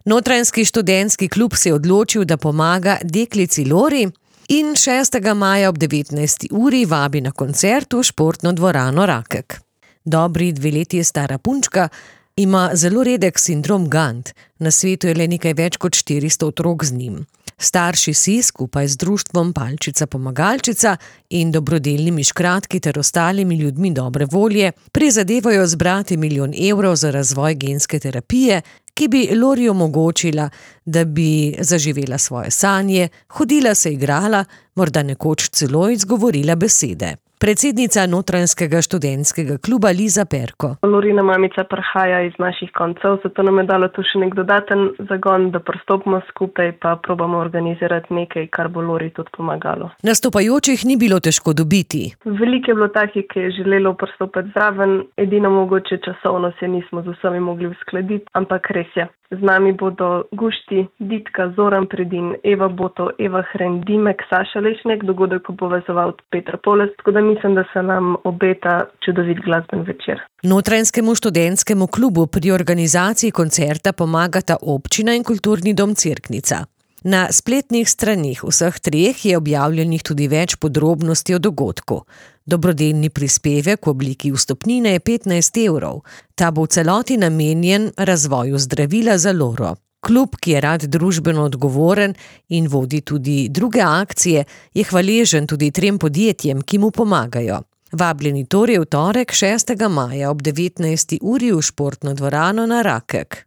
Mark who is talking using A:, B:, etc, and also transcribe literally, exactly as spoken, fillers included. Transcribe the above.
A: Notranjski študentski klub se je odločil, da pomaga deklici Lori in šestega maja ob devetnajsti uri vabi na koncert v športno dvorano Rakek. Dobri dve leti stara punčka ima zelo redek sindrom Gant. Na svetu je le nekaj več kot štiristo otrok z njim. Starši si skupaj z društvom Palčica Pomagalčica in dobrodelnimi škratki ter ostalimi ljudmi dobre volje prizadevajo zbrati milijon evrov za razvoj genske terapije, ki bi Lori omogočila, da bi zaživela svoje sanje, hodila se igrala, morda nekoč celo izgovorila besede. Predsednica Notranjskega študentskega kluba Liza Perko.
B: Lorina mamica prihaja iz naših koncev, zato nam je dalo tu še nek dodaten zagon, da pristopimo skupaj pa probamo organizirati nekaj, kar bo Lori tudi pomagalo.
A: Nastopajočih ni bilo težko dobiti.
B: Veliko je bilo takih, ki je želelo pristopiti zraven, edino mogoče časovno se nismo z vsemi mogli uskladiti, ampak res je. Z nami bodo Gušti, Ditka, Zoran Predin, Eva Boto, Eva Hren, Dimek, Saša Lešnek, dogodek bo povezoval Petra Poles, tako da mislim, da se nam obeta čudovit glasben večer.
A: Notranjskemu študentskemu klubu pri organizaciji koncerta pomagata občina in kulturni dom Cerknica. Na spletnih straneh vseh treh je objavljenih tudi več podrobnosti o dogodku. Dobrodelni prispevek v obliki vstopnine je petnajst evrov. Ta bo v celoti namenjen razvoju zdravila za Loro. Klub, ki je rad družbeno odgovoren in vodi tudi druge akcije, je hvaležen tudi trem podjetjem, ki mu pomagajo. Vabljeni torej v torek šestega maja ob devetnajsti uri v športno dvorano na Rakek.